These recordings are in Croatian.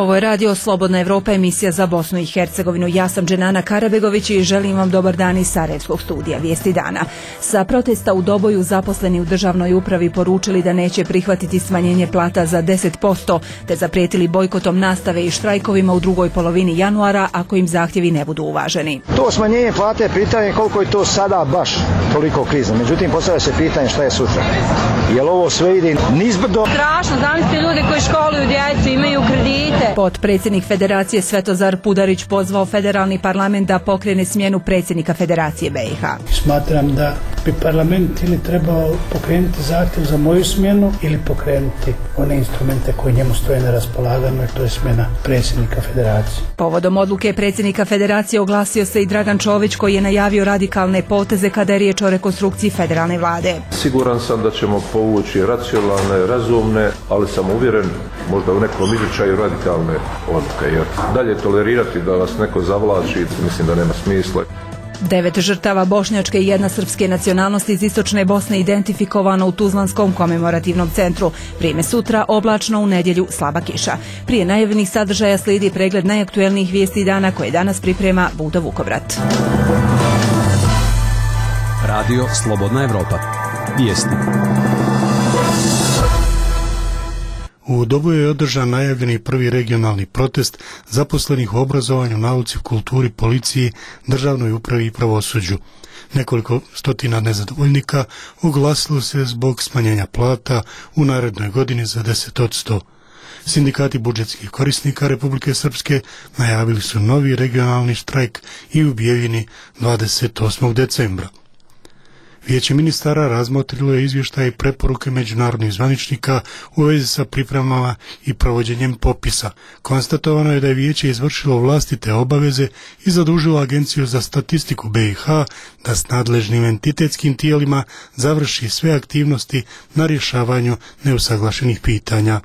Ovo je radio Slobodna Evropa, emisija za Bosnu i Hercegovinu. Ja sam Dženana Karabegović i želim vam dobar dan iz Sarajevskog studija Vijesti dana. Sa protesta u Doboju zaposleni u državnoj upravi poručili da neće prihvatiti smanjenje plata za 10%, te zaprijetili bojkotom nastave i štrajkovima u drugoj polovini januara ako im zahtjevi ne budu uvaženi. To smanjenje plate, pitanje koliko je to sada baš toliko krizno. Međutim, postavlja se pitanje šta je sutra. Jel ovo sve ide nizbrdo? Strašno, zamislite ljude koji školuju djecu, imaju kredite. Potpredsjednik Federacije Svetozar Pudarić pozvao federalni parlament da pokrene smjenu predsjednika Federacije BiH. Smatram da bi parlament ili trebao pokrenuti zahtjev za moju smjenu ili pokrenuti one instrumente koji njemu stoje na raspolaganju, jer to je smjena predsjednika Federacije. Povodom odluke predsjednika Federacije oglasio se i Dragan Čović koji je najavio radikalne poteze kada je riječ o rekonstrukciji federalne vlade. Siguran sam da ćemo povući racionalne, razumne, ali sam uvjeren možda u nekom izričaju radikalne odluke, jer dalje tolerirati da vas neko zavlači, mislim da nema smisla. 9 žrtava bošnjačke i 1 srpske nacionalnosti iz istočne Bosne identifikovano u Tuzlanskom komemorativnom centru. Vrijeme sutra, oblačno, u nedjelju slaba kiša. Prije najavljenih sadržaja slijedi pregled najaktuelnijih vijesti dana koje danas priprema Budo Vukovrat. Radio Slobodna Evropa. Vijesti. U Doboju je održan najavljeni prvi regionalni protest zaposlenih u obrazovanju, nauci, kulturi, policiji, državnoj upravi i pravosuđu. Nekoliko stotina nezadovoljnika oglasilo se zbog smanjenja plata u narednoj godini za 10%. Sindikati budžetskih korisnika Republike Srpske najavili su novi regionalni štrajk i u Bijeljini 28. decembra. Vijeće ministara razmotrilo je izvještaje i preporuke međunarodnih zvaničnika u vezi sa pripremama i provođenjem popisa. Konstatovano je da je vijeće izvršilo vlastite obaveze i zadužilo Agenciju za statistiku BiH da s nadležnim entitetskim tijelima završi sve aktivnosti na rješavanju neusaglašenih pitanja.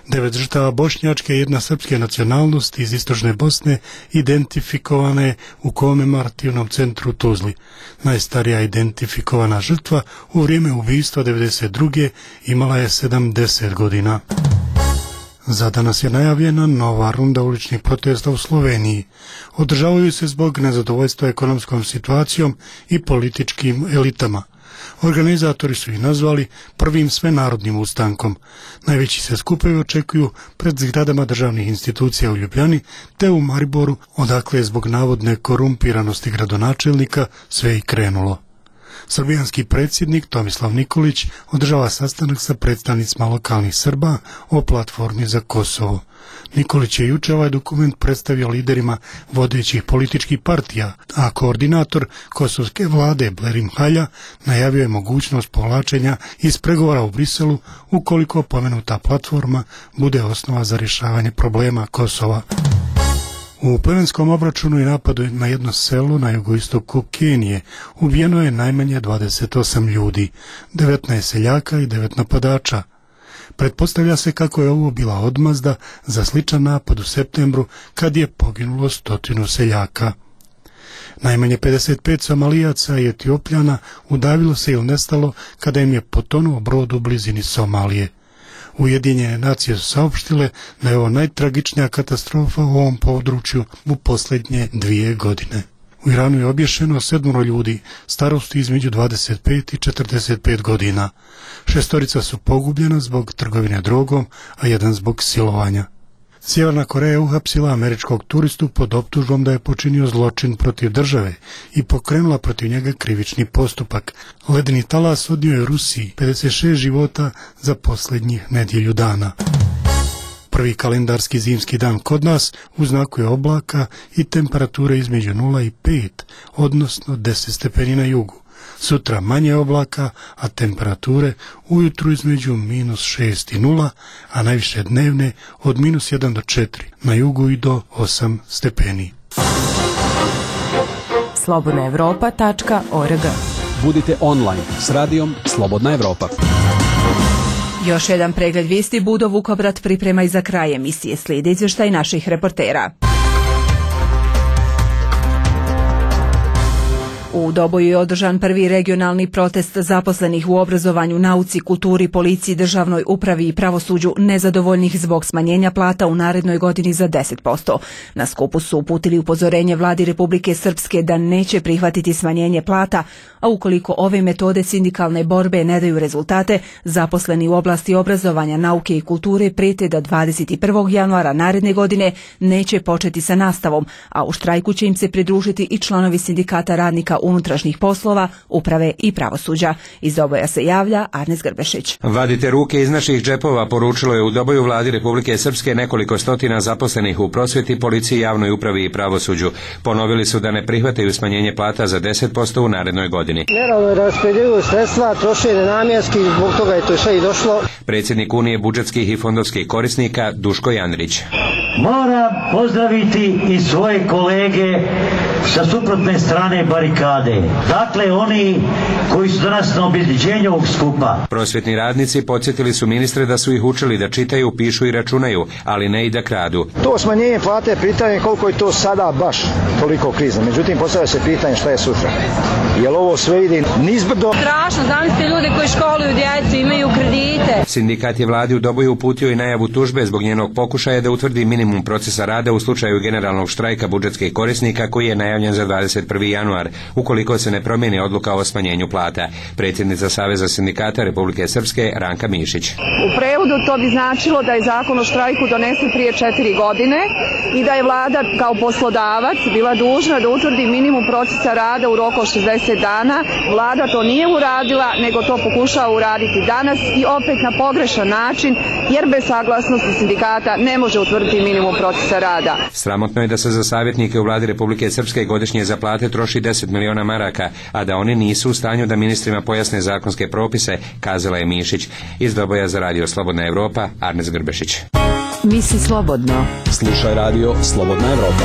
9 žrtava bošnjačke i 1 srpske nacionalnosti iz istočne Bosne identifikovane je u komemorativnom centru u Tuzli. Najstarija identifikovana žrtva u vrijeme ubistva 1992. imala je 70 godina. Za danas je najavljena nova runda uličnih protesta u Sloveniji. Održavaju se zbog nezadovoljstva ekonomskom situacijom i političkim elitama. Organizatori su ih nazvali prvim svenarodnim ustankom. Najveći se skupovi očekuju pred zgradama državnih institucija u Ljubljani te u Mariboru, odakle je zbog navodne korumpiranosti gradonačelnika sve i krenulo. Srbijanski predsjednik Tomislav Nikolić održava sastanak sa predstavnicima lokalnih Srba o platformi za Kosovo. Nikolić je juče ovaj dokument predstavio liderima vodećih političkih partija, a koordinator kosovske vlade Blerim Halja najavio je mogućnost povlačenja iz pregovora u Briselu ukoliko pomenuta platforma bude osnova za rješavanje problema Kosova. U plemenskom obračunu i napadu na jedno selo na jugoistoku Kenije ubijeno je najmanje 28 ljudi, 19 seljaka i 9 napadača. Pretpostavlja se kako je ovo bila odmazda za sličan napad u septembru kad je poginulo 100 seljaka. Najmanje 55 Somalijaca i Etiopljana udavilo se ili nestalo kada im je potonuo brod u blizini Somalije. Ujedinjene nacije su saopštile da je ovo najtragičnija katastrofa u ovom području u posljednje 2 godine. U Iranu je obješeno 7 ljudi starosti između 25 i 45 godina. 6 su pogubljena zbog trgovine drogom, a 1 zbog silovanja. Sjeverna Koreja je uhapsila američkog turistu pod optužbom da je počinio zločin protiv države i pokrenula protiv njega krivični postupak. Ledeni talas odnio je Rusiji 56 života za posljednjih nedjelju dana. Prvi kalendarski zimski dan kod nas u znaku je oblaka i temperature između 0 i 5, odnosno 10 stepeni na jugu. Sutra manje oblaka, a temperature ujutru između -6 i 0, a najviše dnevne od -1 do 4, na jugu i do 8 stepeni. slobodnaevropa.org. Budite online s radijom Slobodna Evropa. Još jedan pregled vijesti Budo Vukovrat priprema i za kraj emisije. Slijedi izvještaj naših reportera. U Doboju je održan prvi regionalni protest zaposlenih u obrazovanju, nauci, kulturi, policiji, državnoj upravi i pravosuđu nezadovoljnih zbog smanjenja plata u narednoj godini za 10%. Na skupu su uputili upozorenje vladi Republike Srpske da neće prihvatiti smanjenje plata, a ukoliko ove metode sindikalne borbe ne daju rezultate, zaposleni u oblasti obrazovanja, nauke i kulture prijete da 21. januara naredne godine neće početi sa nastavom, a u štrajku će im se pridružiti i članovi sindikata radnika unutrašnjih poslova, uprave i pravosuđa. Iz Doboja se javlja Arnes Grbešić. Vadite ruke iz naših džepova, poručilo je u Doboju vladi Republike Srpske nekoliko stotina zaposlenih u prosvjeti, policiji, javnoj upravi i pravosuđu. Ponovili su da ne prihvataju smanjenje plata za 10% u narednoj godini. Neravno raspodjeljuju sredstva, troše nenamjenski, zbog toga je to sve i došlo. Predsjednik Unije budžetskih i fondovskih korisnika Duško Jandrić. Moram pozdraviti i svoje kolege sa suprotne strane barikade. Dakle, oni koji su danas na obezbeđenju ovog skupa. Prosvjetni radnici podsjetili su ministre da su ih učili da čitaju, pišu i računaju, ali ne i da kradu. To smanjenje plate, pitanje koliko je to sada baš toliko krizno. Međutim, postavlja se pitanje šta je sutra. Jel ovo sve ide nizbrdo? Strašno, zamislite ljude koji školuju djecu, imaju kredite. Sindikat je vladi u Doboju uputio i najavu tužbe zbog njenog pokušaja da utvrdi minimum procesa rada u slučaju generalnog štrajka budžetskih korisnika koji je najavljen za 21. januar, ukoliko se ne promijeni odluka o smanjenju plata. Predsjednica Saveza sindikata Republike Srpske Ranka Mišić. U prevodu to bi značilo da je zakon o štrajku donesen prije 4 godine i da je vlada kao poslodavac bila dužna da utvrdi minimum procesa rada u roku od 60 dana. Vlada to nije uradila, nego to pokušava uraditi danas i opet na pogrešan način, jer bez saglasnosti sindikata ne može utvrditi minimum procesa rada. Sramotno je da se za savjetnike u vladi Republike Srpske godišnje za plate troši 10 miliona maraka, a da oni nisu u stanju da ministrima pojasne zakonske propise, kazala je Mišić. Iz Doboja za radio Slobodna Evropa, Arnes Grbešić. Misli slobodno. Slušaj radio Slobodna Evropa.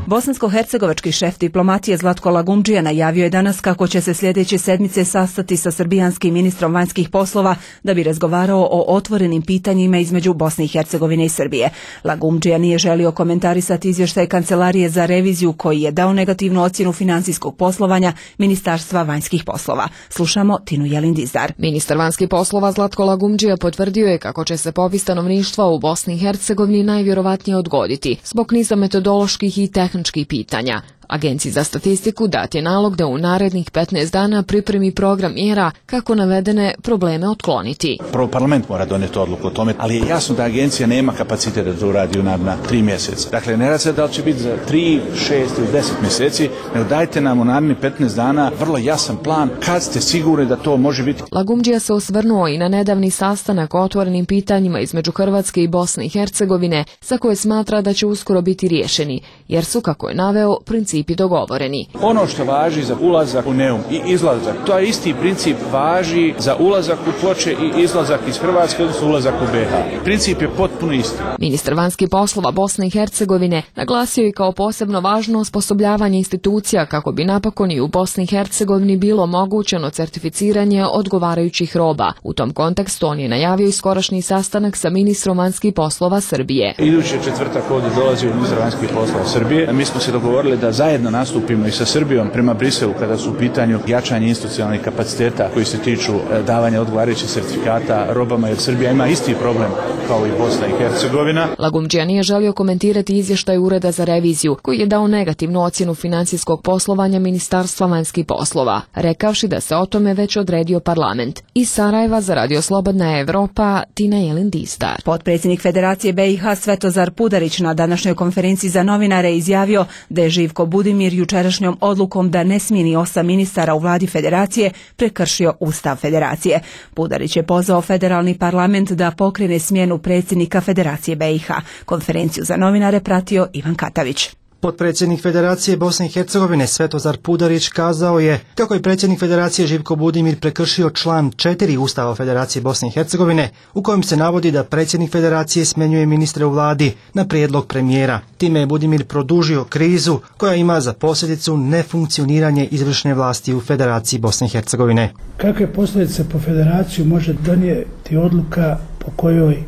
Bosansko-hercegovački šef diplomatije Zlatko Lagumdžija najavio je danas kako će se sljedeće sedmice sastati sa srbijanskim ministrom vanjskih poslova da bi razgovarao o otvorenim pitanjima između Bosne i Hercegovine i Srbije. Lagumdžija nije želio komentarisati izvještaj Kancelarije za reviziju koji je dao negativnu ocjenu financijskog poslovanja Ministarstva vanjskih poslova. Slušamo Tinu Jelin-Dizdar. Ministar vanjskih poslova Zlatko Lagumdžija potvrdio je kako će se popis stanovništva u Bosni i Hercegovini najvjerovatnije odgoditi zbog niza metodoloških i tehničkih pitanja. Agenciji za statistiku dat je nalog da u narednih 15 dana pripremi program mjera kako navedene probleme otkloniti. Prvo parlament mora donijeti odluku o tome, ali je jasno da agencija nema kapacitet da to uradi u naredna 3 mjeseca. Dakle, ne radi se da li će biti za 3, 6 ili 10 mjeseci, nego dajte nam u narednih 15 dana vrlo jasan plan kad ste sigurni da to može biti. Lagumdžija se osvrnuo i na nedavni sastanak o otvorenim pitanjima između Hrvatske i Bosne i Hercegovine, za koje smatra da će uskoro biti riješeni, jer su, kako je naveo, principi dogovoreni. Ono što važi za ulazak u Neum i izlazak, to je isti princip važi za ulazak u Ploče i izlazak iz Hrvatske, odnosno ulazak u BiH. Princip je potpuno isti. Ministar vanjskih poslova Bosne i Hercegovine naglasio je kao posebno važno osposobljavanje institucija kako bi napokon i u Bosni i Hercegovini bilo omogućeno certificiranje odgovarajućih roba. U tom kontekstu on je najavio i skorašnji sastanak sa ministrom vanjskih poslova Srbije. Idući četvrtak ovdje dolazi ministar vanjskih poslova Srbije. Mi smo se dogovorili da zajedno nastupimo i sa Srbijom prema Briselu kada su u pitanju jačanje institucionalnih kapaciteta koji se tiču davanja odgovarajućih certifikata robama, jer Srbija ima isti problem kao i Bosna i Hercegovina. Lagumdžija nije želio komentirati izvještaj Ureda za reviziju koji je dao negativnu ocjenu financijskog poslovanja Ministarstva vanjskih poslova, rekavši da se o tome već odredio parlament. Iz Sarajeva za radio Slobodna Evropa, Tina Jelin-Dizdar. Potpredsjednik Federacije BiH Svetozar Pudarić na današnjoj konferenciji za novinare izjavio da je Živko Budimir jučerašnjom odlukom da ne smijeni 8 ministara u vladi Federacije prekršio Ustav Federacije. Pudarić je pozvao federalni parlament da pokrene smjenu predsjednika Federacije BiH. Konferenciju za novinare pratio Ivan Katavić. Potpredsjednik Federacije Bosne i Hercegovine Svetozar Pudarić kazao je kako je predsjednik Federacije Živko Budimir prekršio član 4 Ustava Federacije Bosne i Hercegovine u kojem se navodi da predsjednik Federacije smjenjuje ministre u vladi na prijedlog premijera. Time je Budimir produžio krizu koja ima za posljedicu nefunkcioniranje izvršne vlasti u Federaciji Bosne i Hercegovine. Kakve posljedice po Federaciju može donijeti odluka po kojoj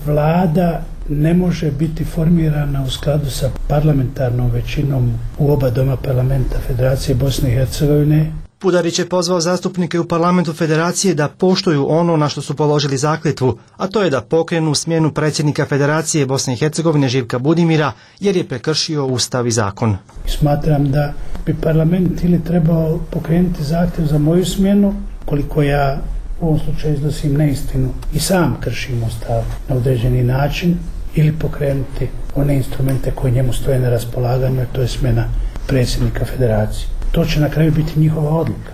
vlada ne može biti formirana u skladu sa parlamentarnom većinom u oba doma parlamenta Federacije Bosne i Hercegovine. Pudarić je pozvao zastupnike u parlamentu Federacije da poštuju ono na što su položili zakletvu, a to je da pokrenu smjenu predsjednika Federacije Bosne i Hercegovine Živka Budimira jer je prekršio Ustav i zakon. Smatram da bi parlament ili trebao pokrenuti zahtjev za moju smjenu, koliko ja u ovom slučaju iznosim neistinu i sam kršim Ustav na određeni način, ili pokrenuti one instrumente koji njemu stoje na raspolaganju, to je smjena predsjednika Federacije. To će na kraju biti njihova odluka,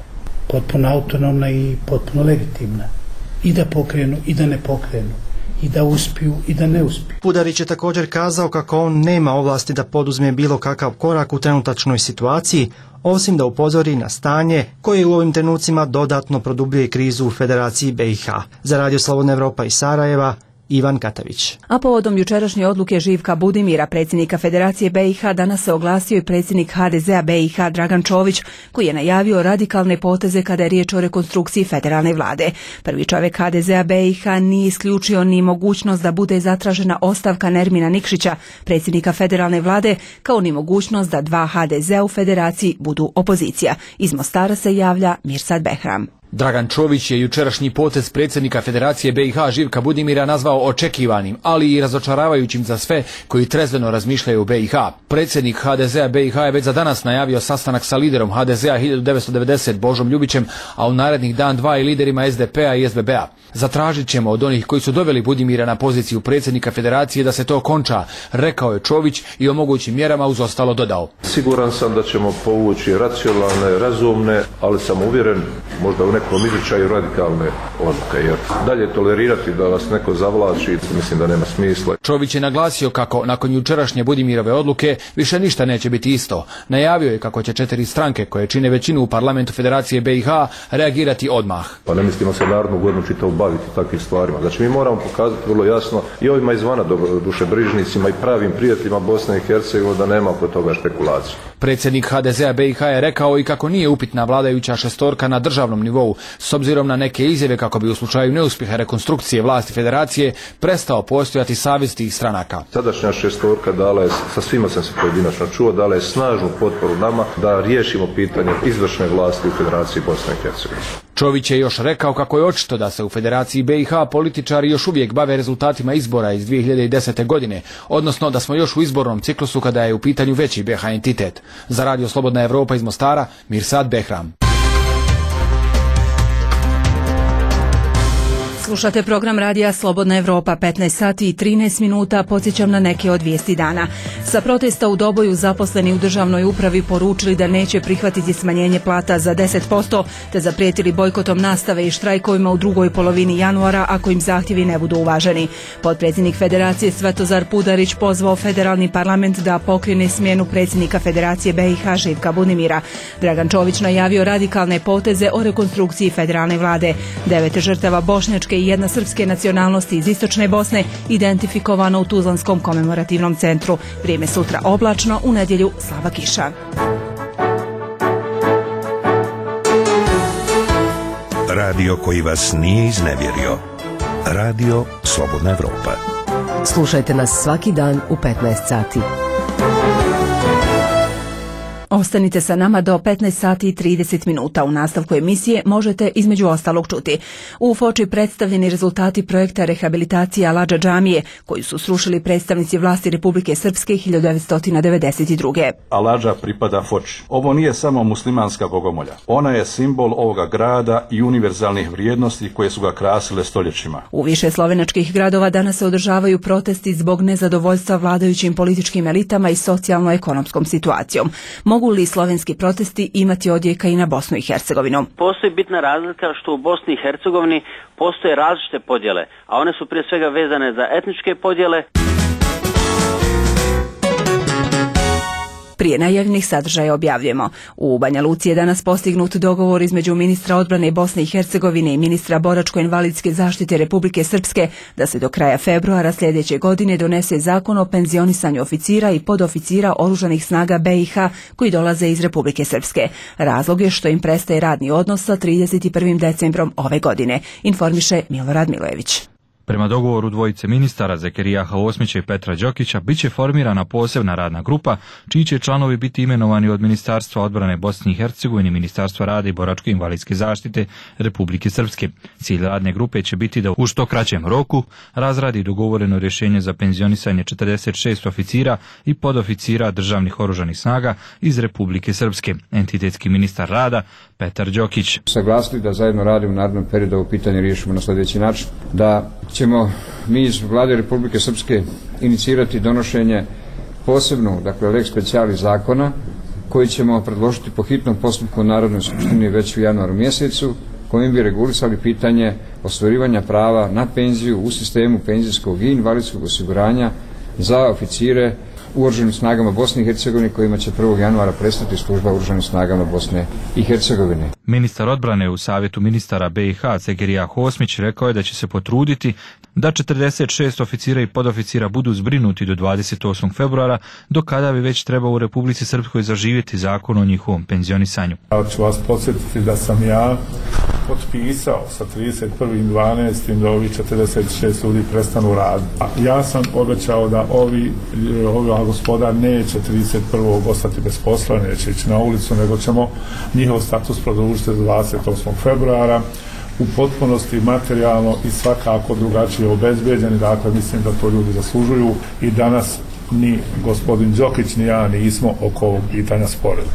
potpuno autonomna i potpuno legitimna. I da pokrenu i da ne pokrenu, i da uspiju i da ne uspiju. Pudarić je također kazao kako on nema ovlasti da poduzme bilo kakav korak u trenutačnoj situaciji, osim da upozori na stanje koje u ovim trenucima dodatno produbljuje krizu u Federaciji BiH. Za Radio Slobodna Evropa iz Sarajeva, Ivan Katavić. A povodom jučerašnje odluke Živka Budimira, predsjednika Federacije BiH, danas se oglasio i predsjednik HDZ-a BiH Dragan Čović, koji je najavio radikalne poteze kada je riječ o rekonstrukciji federalne vlade. Prvi čovjek HDZ-a BiH nije isključio ni mogućnost da bude zatražena ostavka Nermina Nikšića, predsjednika federalne vlade, kao ni mogućnost da dva HDZ-a u Federaciji budu opozicija. Iz Mostara se javlja Mirsad Behram. Dragan Čović je jučerašnji potez predsjednika Federacije BiH Živka Budimira nazvao očekivanim, ali i razočaravajućim za sve koji trezveno razmišljaju o BiH. Predsjednik HDZ-a BiH je već za danas najavio sastanak sa liderom HDZ-a 1990 Božom Ljubićem, a u narednih dan dva i liderima SDP-a i SBB-a. Zatražit ćemo od onih koji su doveli Budimira na poziciju predsjednika Federacije da se to konča, rekao je Čović i o mogućim mjerama uz ostalo dodao. Siguran sam da ćemo povući racionalne, razumne, ali sam uvjeren možda u nekom izričaju radikalne odluke, jer dalje tolerirati da vas neko zavlači, mislim da nema smisla. Čović je naglasio kako nakon jučerašnje Budimirove odluke više ništa neće biti isto. Najavio je kako će 4 stranke koje čine većinu u parlamentu Federacije BiH reagirati odmah. Pa ne mislimo se narodnu godinu čitavu baviti takvim stvarima. Znači mi moramo pokazati vrlo jasno i ovima izvana dušebrižnicima i pravim prijateljima Bosne i Hercegovine da nema oko toga špekulacije. Predsjednik HDZ-a BiH je rekao i kako nije upitna vladajuća šestorka na državnom nivou, s obzirom na neke izjave kako bi u slučaju neuspjeha rekonstrukcije vlasti Federacije prestao postojati savez tih stranaka. Sadašnja šestorka dala je, sa svima sam se pojedinačno čuo, dala je snažnu potporu nama da riješimo pitanje izvršne vlasti u Federaciji Bosne i Hercegovine. Čović je još rekao kako je očito da se u Federaciji BiH političari još uvijek bave rezultatima izbora iz 2010. godine, odnosno da smo još u izbornom ciklusu kada je u pitanju veći BiH entitet. Za Radio Slobodna Evropa iz Mostara, Mirsad Behram. Slušate program radija Slobodna Evropa, 15 sati i 13 minuta, podsjećam na neke od vijesti dana. Sa protesta u Doboju zaposleni u državnoj upravi poručili da neće prihvatiti smanjenje plata za 10%, te zaprijetili bojkotom nastave i štrajkovima u drugoj polovini januara ako im zahtjevi ne budu uvaženi. Potpredsjednik Federacije Svetozar Pudarić pozvao federalni parlament da pokrene smjenu predsjednika Federacije BiH Živka Budimira. Dragan Čović najavio radikalne poteze o rekonstrukciji federalne vlade. 9 žrtava bošnjačke i jedna srpske nacionalnosti iz istočne Bosne identifikovano u Tuzlanskom komemorativnom centru. Vrijeme sutra oblačno, u nedjelju slaba kiša. Radio koji vas nije iznevjerio. Radio Slobodna Evropa. Slušajte nas svaki dan u 15 sati. Ostanite sa nama do 15 sati i 30 minuta. U nastavku emisije možete između ostalog čuti: u Foči predstavljeni rezultati projekta rehabilitacije Aladža džamije, koju su srušili predstavnici vlasti Republike Srpske 1992. Aladža pripada Foči. Ovo nije samo muslimanska bogomolja. Ona je simbol ovoga grada i univerzalnih vrijednosti koje su ga krasile stoljećima. U više slovenačkih gradova danas se održavaju protesti zbog nezadovoljstva vladajućim političkim elitama i socijalno-ekonomskom situacijom. Mogu li slovenski protesti imati odjeka i na Bosnu i Hercegovinu? Postoji bitna razlika što u Bosni i Hercegovini postoje različite podjele, a one su prije svega vezane za etničke podjele. Prije najavljenih sadržaja objavljujemo: u Banja Luci je danas postignut dogovor između ministra odbrane Bosne i Hercegovine i ministra boračko-invalidske zaštite Republike Srpske da se do kraja februara sljedeće godine donese zakon o penzionisanju oficira i podoficira oružanih snaga BiH koji dolaze iz Republike Srpske. Razlog je što im prestaje radni odnos sa 31. decembrom ove godine, informiše Milorad Milojević. Prema dogovoru dvojice ministara Zekerijaha Osmića i Petra Đokića bit će formirana posebna radna grupa čiji će članovi biti imenovani od Ministarstva odbrane Bosne i Hercegovine, Ministarstva rada i boračko-invalidske zaštite Republike Srpske. Cilj radne grupe će biti da u što kraćem roku razradi dogovoreno rješenje za penzionisanje 46 oficira i podoficira državnih oružanih snaga iz Republike Srpske. Entitetski ministar rada Petar Đokić. Saglasili da zajedno radimo u narednom periodu ovo pitanje riješimo na sljedeći način, da ćemo mi iz Vlade Republike Srpske inicirati donošenje posebnog, dakle lex specialis zakona koji ćemo predložiti po hitnom postupku Narodnoj skupštini već u januaru mjesecu, kojim bi regulisali pitanje ostvarivanja prava na penziju u sistemu penzijskog i invalidskog osiguranja za oficire u Oružanim snagama Bosne i Hercegovine kojima će 1. januara prestati služba u Oružanim snagama Bosne i Hercegovine. Ministar odbrane u Savjetu ministara BiH Zekerijah Osmić rekao je da će se potruditi da 46 oficira i podoficira budu zbrinuti do 28. februara, do kada bi već trebao u Republici Srpskoj zaživjeti zakon o njihovom penzionisanju. Ja ću vas podsjetiti da sam ja potpisao sa 31.12. da ovi 46 ljudi prestanu raditi. Ja sam obećao da ova gospoda neće 31. ostati bez posla, neće ići na ulicu, nego ćemo njihov status produžiti do 28. februara u potpunosti materijalno i svakako drugačije obezbeđeni. Dakle, mislim da to ljudi zaslužuju i danas ni gospodin Đokić ni ja nismo oko ovog pitanja sporili.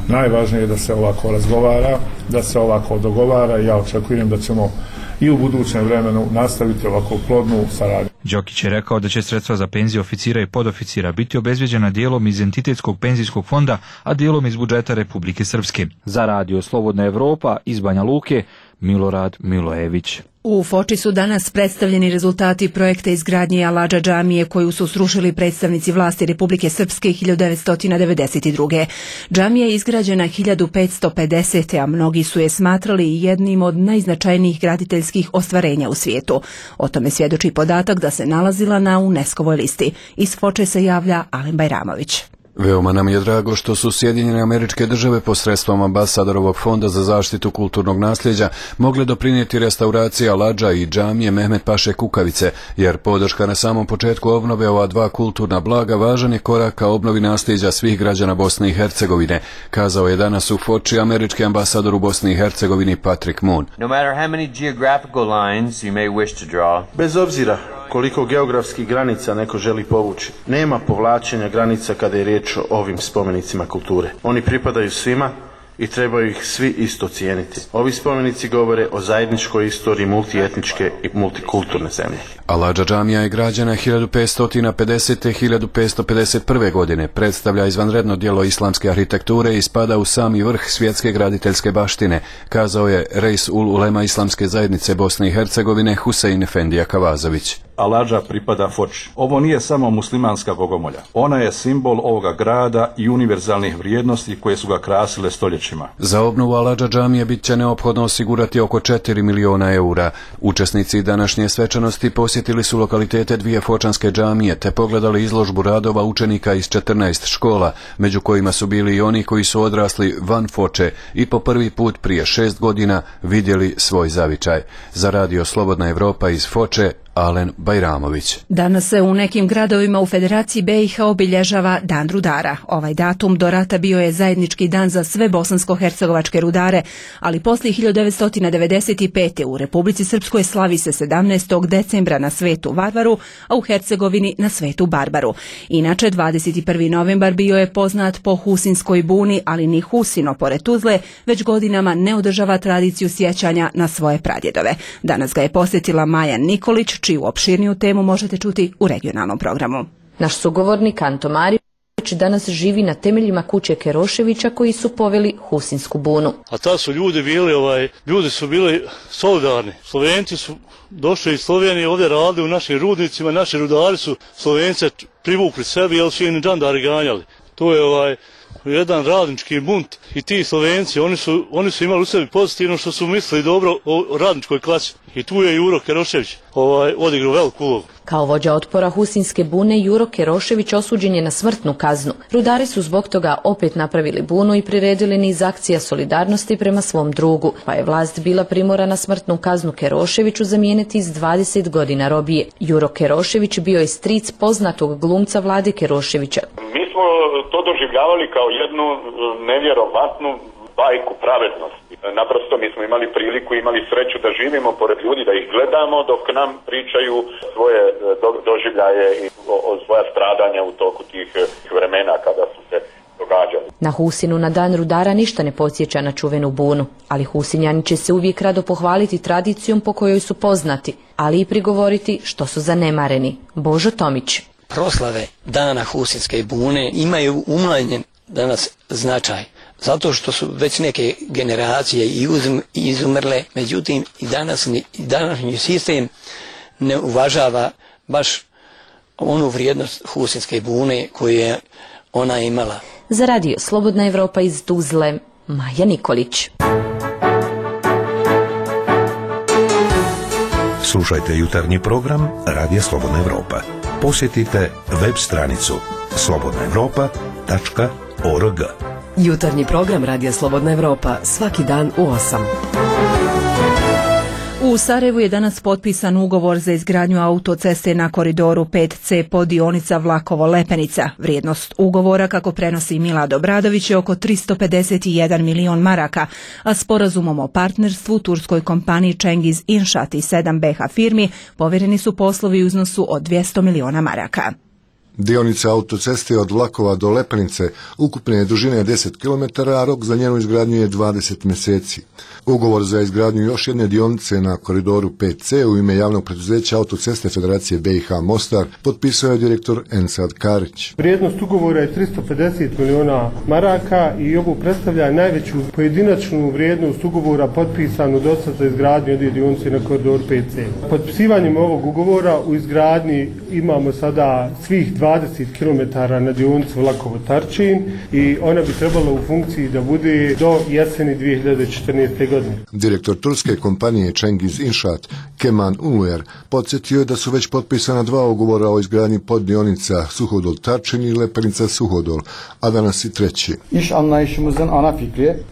Najvažnije je da se ovako razgovara, da se ovako dogovara i ja očekujem da ćemo i u budućem vremenu nastaviti ovako plodnu saradnju. Đokić je rekao da će sredstva za penzije oficira i podoficira biti obezbeđena dijelom iz Entitetskog penzijskog fonda, a dijelom iz budžeta Republike Srpske. Za Radio Slobodna Evropa iz Banja Luke, Milorad Milojević. U Foči su danas predstavljeni rezultati projekta izgradnje Aladža džamije koju su srušili predstavnici vlasti Republike Srpske 1992. Džamija je izgrađena 1550. a mnogi su je smatrali jednim od najznačajnijih graditeljskih ostvarenja u svijetu. O tome svjedoči podatak da se nalazila na UNESCO-voj listi. Iz Foče se javlja Alen Bajramović. Veoma nam je drago što su Sjedinjene Američke Države posredstvom ambasadorovog fonda za zaštitu kulturnog nasljeđa mogle doprinijeti restauraciji Aladža i džamije Mehmet Paše Kukavice, jer podrška na samom početku obnove ova dva kulturna blaga važan je korak ka obnovi nasljeđa svih građana Bosne i Hercegovine, kazao je danas u Foči američki ambasador u Bosni i Hercegovini Patrick Moon. No matter how many geographical lines you may wish to draw. Bez obzira koliko geografskih granica neko želi povući, nema povlačenja granica kada je riječ o ovim spomenicima kulture. Oni pripadaju svima i trebaju ih svi isto cijeniti. Ovi spomenici govore o zajedničkoj istoriji multietničke i multikulturne zemlje. Aladža džamija je građena 1550. 1551. godine, predstavlja izvanredno djelo islamske arhitekture i spada u sami vrh svjetske graditeljske baštine, kazao je Reis ul Ulema Islamske zajednice Bosne i Hercegovine Husein Efendija Kavazović. Aladža pripada Foči. Ovo nije samo muslimanska bogomolja. Ona je simbol ovoga grada i univerzalnih vrijednosti koje su ga krasile stoljećima. Za obnovu Aladža džamije bit će neophodno osigurati oko 4 miliona eura. Učesnici današnje svečanosti posjetili su lokalitete dvije fočanske džamije te pogledali izložbu radova učenika iz 14 škola, među kojima su bili i oni koji su odrasli van Foče i po prvi put prije 6 godina vidjeli svoj zavičaj. Za Radio Slobodna Evropa iz Foče, Alen Bajramović. Danas se u nekim gradovima u Federaciji BiH obilježava Dan rudara. Ovaj datum do rata bio je zajednički dan za sve bosansko-hercegovačke rudare, ali poslije 1995. u Republici Srpskoj slavi se 17. decembra na Svetu Varvaru, a u Hercegovini na Svetu Barbaru. Inače, 21. novembar bio je poznat po Husinskoj buni, ali ni Husino, pored Tuzle, već godinama ne održava tradiciju sjećanja na svoje pradjedove. Danas ga je posjetila Maja Nikolić, čiju opširniju temu možete čuti u regionalnom programu. Naš sugovornik Anto Marić danas živi na temeljima kuće Keroševića koji su poveli Husinsku bunu. A ta su ljudi bili, ljudi su bili solidarni. Slovenci su došli iz Slovenije, ovdje radili u našim rudnicima, naši rudari su Slovence privukli sebi, jer su im džandari ganjali. to je jedan radnički bunt i ti Slovenci, oni su imali u sebi pozitivno što su mislili dobro o radničkoj klasi. I tu je Juro Kerošević odigrao veliku ulogu. Kao vođa otpora Husinske bune, Juro Kerošević osuđen je na smrtnu kaznu. Rudari su zbog toga opet napravili bunu i priredili niz akcija solidarnosti prema svom drugu, pa je vlast bila primorana smrtnu kaznu Keroševiću zamijeniti s 20 godina robije. Juro Kerošević bio je stric poznatog glumca Vlade Keroševića. Mi smo to doživljavali kao jednu nevjerovatnu bajku pravednosti. Naprosto mi smo imali priliku, imali sreću da živimo pored ljudi, da ih gledamo dok nam pričaju svoje doživljaje i svoja stradanja u toku tih vremena kada su se događali. Na Husinu na dan rudara ništa ne podsjeća na čuvenu bunu, ali Husinjani će se uvijek rado pohvaliti tradicijom po kojoj su poznati, ali i prigovoriti što su zanemareni. Božo Tomić. Proslave dana Husinske bune imaju umanjen danas značaj, zato što su već neke generacije izumrle, međutim i današnji sistem ne uvažava baš onu vrijednost Husinske bune koju je ona imala. Za radio Slobodna Evropa iz Tuzle, Maja Nikolić. Slušajte jutarnji program Radija Slobodna Evropa. Posjetite web stranicu slobodnaevropa.org. Jutarnji program Radija Slobodna Evropa svaki dan u 8. U Sarajevu je danas potpisan ugovor za izgradnju autoceste na koridoru 5C podionica Vlakovo-Lepenica. Vrijednost ugovora, kako prenosi Milad Obradović, je oko 351 milion maraka, a sporazumom o partnerstvu turskoj kompaniji Cengiz Inšaat i 7 BH firmi povjereni su poslovi u iznosu od 200 miliona maraka. Dionica autoceste od Vlakova do Lepenice ukupne je dužine 10 km, a rok za njenu izgradnju je 20 mjeseci. Ugovor za izgradnju još jedne dionice na koridoru 5C u ime javnog preduzeća Autoceste Federacije BiH Mostar potpisao je direktor Ensad Karić. Vrijednost ugovora je 350 miliona maraka i ovo predstavlja najveću pojedinačnu vrijednost ugovora potpisanu dosad za izgradnju jedne dionice na koridoru 5C. Potpisivanjem ovog ugovora u izgradnji imamo sada svih 20 km na dionici Vlakovo-Tarčin i ona bi trebala u funkciji da bude do jeseni 2014. godine. Direktor turske kompanije Cengiz Inšaat, Keman Uluer, podsjetio je da su već potpisana 2 ugovora o izgradnji poddionica Suhodol-Tarčin i Lepenica-Suhodol, a danas i treći.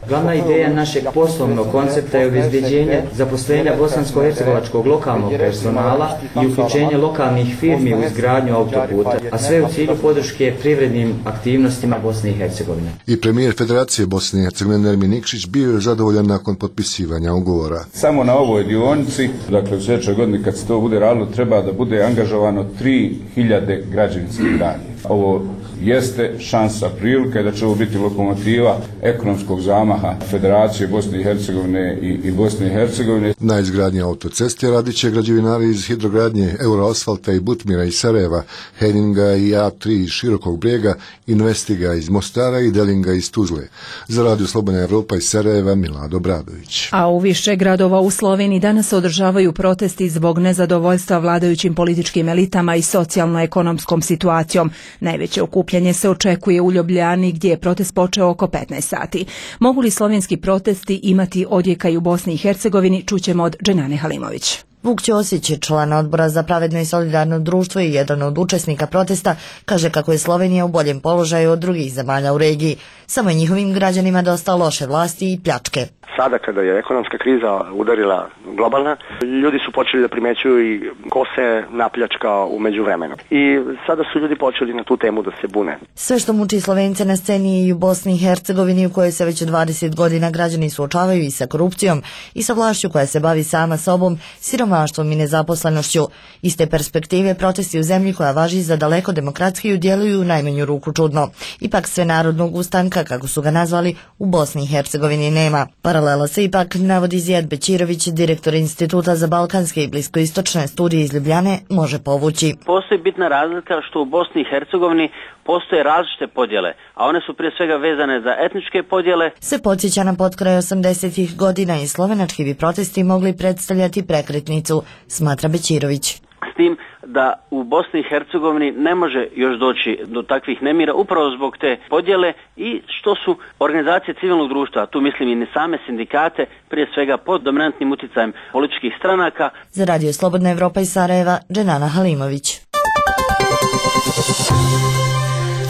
Glavna ideja našeg poslovnog koncepta je obezbeđenje zaposlenja bosansko-hercegovačkog lokalnog personala i uključenje lokalnih firmi u izgradnju autoputa, a sve u cilju podrške privrednim aktivnostima Bosne i Hercegovine. I premijer Federacije Bosne i Hercegovine Nermin Nikšić bio je zadovoljan nakon potpisivanja ugovora. Samo na ovoj dionici, dakle u sljedećoj godini kad se to bude radilo, treba da bude angažovano 3000 građevinskih radnika. Ovo jeste šansa, prilika da će ovo biti lokomotiva ekonomskog zamaha Federacije Bosne i Hercegovine i Bosne i Hercegovine. Na izgradnji autoceste radit će građevinari iz Hidrogradnje, Euroasfalta i Butmira iz Sarajeva, Heninga i A3 iz Širokog Brijega, Investiga iz Mostara i Delinga iz Tuzle. Za Radio Slobodna Evropa iz Sarajeva, Milad Obradović. A u više gradova u Sloveniji danas se održavaju protesti zbog nezadovoljstva vladajućim političkim elitama i socijalno-ekonomskom situacijom. Najveće okupljanje se očekuje u Ljubljani, gdje je protest počeo oko 15 sati. Mogu li slovenski protesti imati odjeka i u Bosni i Hercegovini, čućemo od Dženane Halimović. Vuk Ćosić, član odbora za pravedno i solidarno društvo i jedan od učesnika protesta, kaže kako je Slovenija u boljem položaju od drugih zemalja u regiji. Samo je njihovim građanima dosta loše vlasti i pljačke. Sada kada je ekonomska kriza udarila globalna, ljudi su počeli da primećuju i ko se napljačkao u međuvremenu. I sada su ljudi počeli na tu temu da se bune. Sve što muči Slovence na sceni i u Bosni i Hercegovini, u kojoj se već 20 godina građani suočavaju i sa korupcijom i sa vlašću koja se bavi sama sobom, siromaštvom i nezaposlenošću. Iz te perspektive protesti u zemlji koja važi za daleko demokratskiju djeluju u najmanju ruku čudno. Ipak sve narodnog ustanka, kako su ga nazvali, u Bosni i Hercegovini nema. Paralela se ipak navodi Zijad Bećirović, direktor Instituta za balkanske i bliskoistočne studije iz Ljubljane, može povući. Postoji bitna razlika što u Bosni i Hercegovini postoje različite podjele, a one su prije svega vezane za etničke podjele. Se podsjeća na potkraj 80-ih godina i slovenački bi protesti mogli predstavljati prekretnicu, smatra Bećirović. S tim da u Bosni i Hercegovini ne može još doći do takvih nemira upravo zbog te podjele i što su organizacije civilnog društva, tu mislim i same sindikate, prije svega pod dominantnim utjecajem političkih stranaka. Za Radio Slobodna Evropa iz Sarajeva, Dženana Halimović.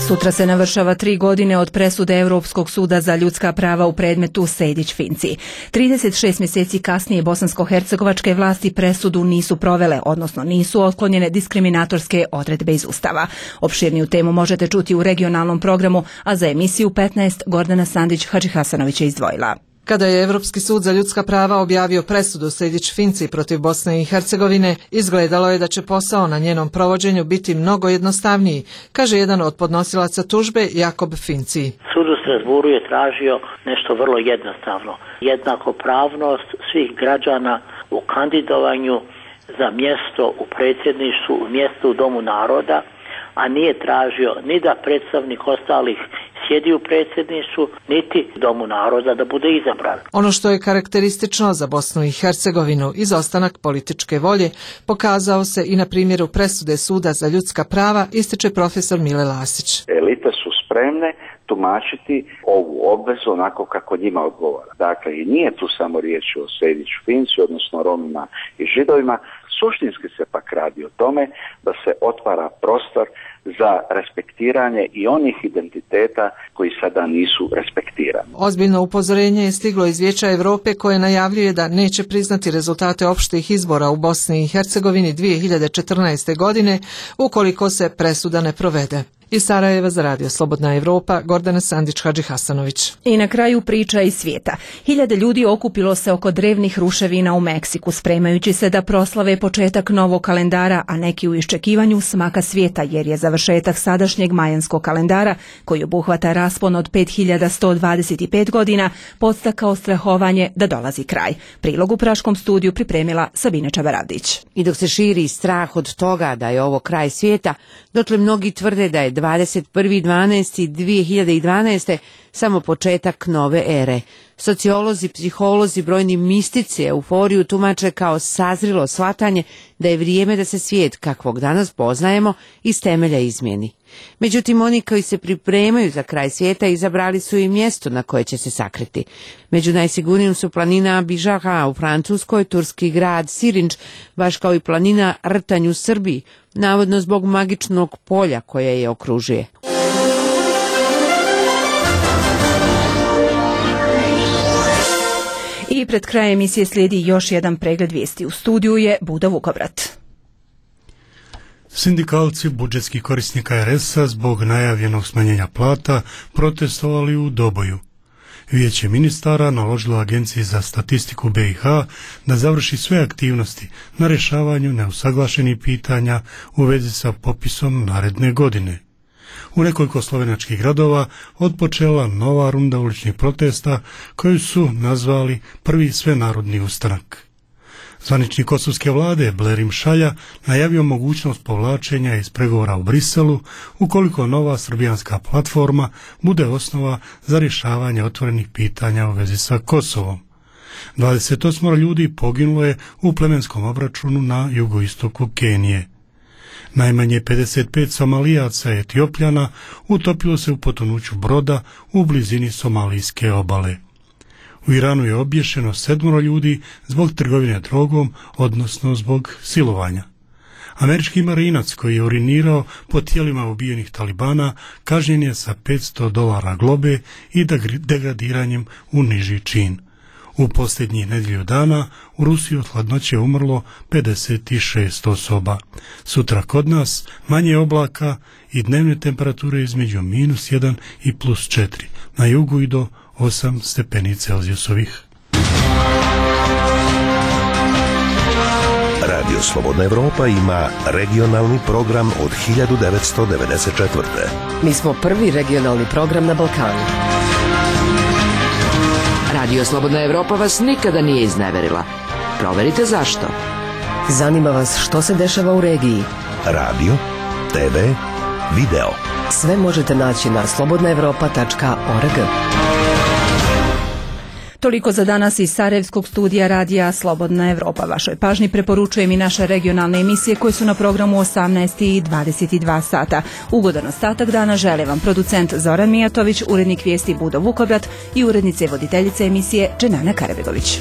Sutra se navršava 3 godine od presude Europskog suda za ljudska prava u predmetu Sejdić-Finci. 36 mjeseci kasnije bosansko-hercegovačke vlasti presudu nisu provele, odnosno nisu otklonjene diskriminatorske odredbe iz Ustava. Opširniju temu možete čuti u regionalnom programu, a za emisiju 15 Gordana Sandić-Hadžihasanović je izdvojila. Kada je Europski sud za ljudska prava objavio presudu Sejdić-Finci protiv Bosne i Hercegovine, izgledalo je da će posao na njenom provođenju biti mnogo jednostavniji, kaže jedan od podnosilaca tužbe Jakob Finci. Sud u Strasburu je tražio nešto vrlo jednostavno. Jednakopravnost svih građana u kandidovanju za mjesto u predsjedništvu, mjesto u Domu naroda, a nije tražio ni da predstavnik ostalih sjedi u predsjedništvu, niti Domu naroda da bude izabran. Ono što je karakteristično za Bosnu i Hercegovinu, izostanak političke volje, pokazao se i na primjeru presude Suda za ljudska prava, ističe profesor Mile Lasić. Elite su spremne tumačiti ovu obvezu onako kako njima odgovara. Dakle, i nije tu samo riječ o Sejdić-Finci, odnosno Romima i Židovima. Suštinski se pak radi o tome da se otvara prostor za respektiranje i onih identiteta koji sada nisu respektirani. Ozbiljno upozorenje je stiglo iz Vijeća Europe koje najavljuje da neće priznati rezultate opštih izbora u Bosni i Hercegovini 2014. godine ukoliko se presuda ne provede. Iz Sarajeva za Radio Slobodna Evropa, Gordana Sandić-Hadžihasanović. I na kraju priča iz svijeta. Hiljade ljudi okupilo se oko drevnih ruševina u Meksiku, spremajući se da proslave početak novog kalendara, a neki u iščekivanju smaka svijeta, jer je završetak sadašnjeg majanskog kalendara, koji obuhvata raspon od 5125 godina, podstakao strahovanje da dolazi kraj. Prilog u Praškom studiju pripremila Sabina Čabaravdić. I dok se širi strah od toga da je ovo kraj svijeta, dotle mnogi tvrde da je 21.12.2012. samo početak nove ere. Sociolozi, psiholozi, brojni mistici euforiju tumače kao sazrilo shvatanje da je vrijeme da se svijet kakvog danas poznajemo iz temelja izmijeni. Međutim, oni koji se pripremaju za kraj svijeta izabrali su i mjesto na koje će se sakriti. Među najsigurnijim su planina Bižaha u Francuskoj, turski grad Sirinč, baš kao i planina Rtanj u Srbiji, navodno zbog magičnog polja koje je okružuje. I pred krajem emisije slijedi još jedan pregled vijesti. U studiju je Buda Vukovrat. Sindikalci budžetskih korisnika RS-a zbog najavljenog smanjenja plata protestovali u Doboju. Vijeće ministara naložilo Agenciji za statistiku BiH da završi sve aktivnosti na rješavanju neusaglašenih pitanja u vezi sa popisom naredne godine. U nekoliko slovenačkih gradova odpočela nova runda uličnih protesta koju su nazvali prvi svenarodni ustanak. Zvaničnik kosovske vlade Blerim Šalja najavio mogućnost povlačenja iz pregovora u Briselu ukoliko nova srbijanska platforma bude osnova za rješavanje otvorenih pitanja u vezi sa Kosovom. 28 ljudi poginulo je u plemenskom obračunu na jugoistoku Kenije. Najmanje 55 Somalijaca i Etiopljana utopilo se u potonuću broda u blizini somalijske obale. U Iranu je obješeno 7 ljudi zbog trgovine drogom, odnosno zbog silovanja. Američki marinac koji je urinirao po tijelima ubijenih talibana kažnjen je sa $500 globe i degradiranjem u niži čin. U posljednjih nedjelju dana u Rusiji od hladnoće je umrlo 56 osoba. Sutra kod nas manje oblaka i dnevne temperature između -1 i +4. Na jugu i do 8 stepeni Celzijusovih. Radio Slobodna Evropa ima regionalni program od 1994. Mi smo prvi regionalni program na Balkanu. Radio Slobodna Evropa vas nikada nije izneverila. Proverite zašto. Zanima vas što se dešava u regiji. Radio, TV, video. Sve možete naći na slobodnaevropa.org. Toliko za danas iz Sarajevskog studija radija Slobodna Evropa. Vašoj pažnji preporučujem i naše regionalne emisije koje su na programu 18 i 22 sata. Ugodan ostatak dana žele vam producent Zoran Mijatović, urednik vijesti Budo Vukobrad i urednice i voditeljice emisije Dženana Karabegović.